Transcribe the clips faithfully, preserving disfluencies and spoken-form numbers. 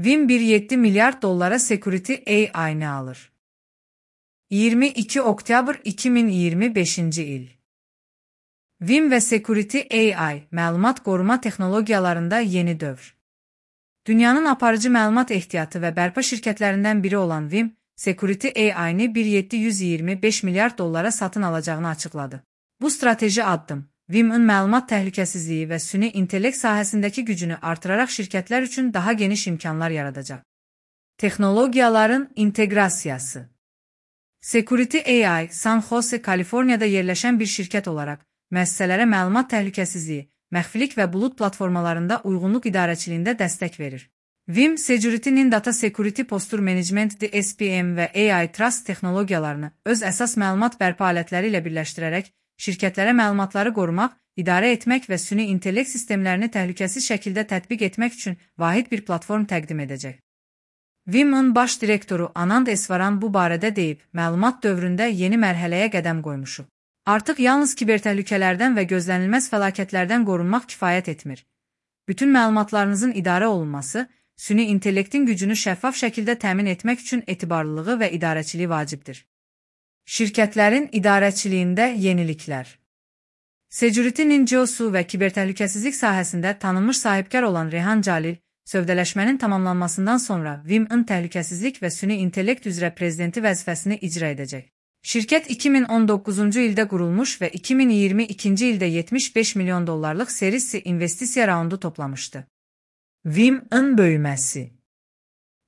Vim bir nokta yeddi milyar dollara Security A I'ni alır. iyirmi iki oktyabr iki min iyirmi beşinci il. Vim ve Security A I, məlumat qoruma texnologiyalarında yeni dövr. Dünyanın aparıcı məlumat ehtiyatı və bərpa şirkətlərindən biri olan Vim, Security A I'ni bir milyon yeddi yüz iyirmi beş milyar dollara satın alacağını açıqladı. Bu strateji addım, Vim'in məlumat təhlükəsizliyi və süni intellekt sahəsindəki gücünü artıraraq şirkətlər üçün daha geniş imkanlar yaradacaq. Texnologiyaların inteqrasiyası. Security A I, San Jose, Kaliforniyada yerləşən bir şirkət olaraq, müəssisələrə məlumat təhlükəsizliyi, məxfilik və bulut platformalarında uyğunluq idarəçiliyində dəstək verir. Vim, Security'nin Data Security Posture Management D S P M və A I Trust texnologiyalarını öz əsas məlumat bərpa alətləri ilə birləşdirərək, şirkətlərə məlumatları qorumaq, idarə etmək və süni intellekt sistemlərini təhlükəsiz şəkildə tətbiq etmək üçün vahid bir platform təqdim edəcək. Vim'in baş direktoru Anand Eswaran bu barədə deyib, məlumat dövründə yeni mərhələyə qədəm qoymuşuq. Artıq yalnız kibertəhlükələrdən və gözlənilməz fəlakətlərdən qorunmaq kifayət etmir. Bütün məlumatlarınızın idarə olunması, süni intellektin gücünü şəffaf şəkildə təmin etmək üçün etibarlılığı və idarəçiliyi vacibdir. Şirkətlərin idarəçiliyində yeniliklər. Security'nin C E O'su və kibertəhlükəsizlik sahəsində tanınmış sahibkar olan Rehan Calil, sövdələşmənin tamamlanmasından sonra Vim'in təhlükəsizlik və süni intellekt üzrə prezidenti vəzifəsini icra edəcək. Şirkət iki min on doqquzuncu ildə qurulmuş və iki min iyirmi ikinci ildə yetmiş beş milyon dollarlıq serisi investisiya raundu toplamışdı. Vim'in böyüməsi.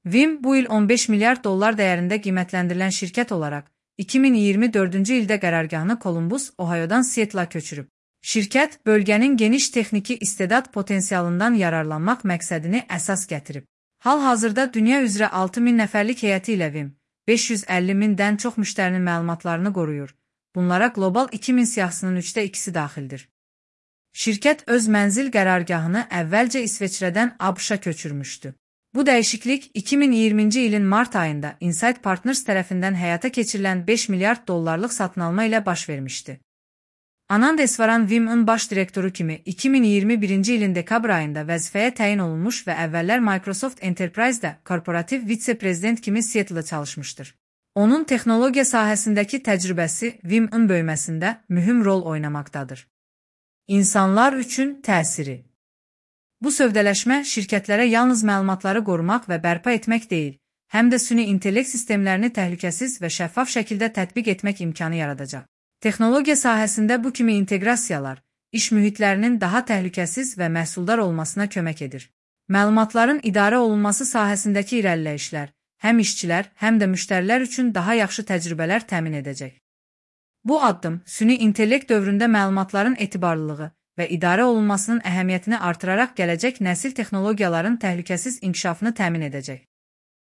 Vim bu il on beş milyar dollar dəyərində qiymətləndirilən şirkət olaraq iki min iyirmi dördüncü ildə qərargahını Columbus, Ohio'dan Seattle'a köçürüb. Şirkət, bölgənin geniş texniki istedad potensialından yararlanmaq məqsədini əsas gətirib. Hal-hazırda dünya üzrə altı min nəfərlik heyəti ilə Vim, beş yüz əlli mindən çox müştərinin məlumatlarını qoruyur. Bunlara qlobal iki min siyahısının üçdə ikisi daxildir. Şirkət öz mənzil qərargahını əvvəlcə İsveçrədən A B Ş-a köçürmüşdü. Bu dəyişiklik iki min iyirminci ilin mart ayında Insight Partners tərəfindən həyata keçirilən beş milyard dollarlıq satın alma ilə baş vermişdi. Anand Eswaran Vim'in baş direktoru kimi iki min iyirmi birinci ilin dekabr ayında vəzifəyə təyin olunmuş və əvvəllər Microsoft Enterprise'də korporativ vitse-prezident kimi Seattle'da çalışmışdır. Onun texnologiya sahəsindəki təcrübəsi Vim'in böyüməsində mühüm rol oynamaqdadır. İnsanlar üçün təsiri. Bu sövdələşmə şirkətlərə yalnız məlumatları qorumaq və bərpa etmək deyil, həm də süni intellekt sistemlərini təhlükəsiz və şəffaf şəkildə tətbiq etmək imkanı yaradacaq. Texnologiya sahəsində bu kimi inteqrasiyalar, iş mühitlərinin daha təhlükəsiz və məhsuldar olmasına kömək edir. Məlumatların idarə olunması sahəsindəki irəliləyişlər, həm işçilər, həm də müştərilər üçün daha yaxşı təcrübələr təmin edəcək. Bu addım, süni intellekt dövründə məlumatların etibarlılığı və idarə olunmasının əhəmiyyətini artıraraq gələcək nəsil texnologiyaların təhlükəsiz inkişafını təmin edəcək.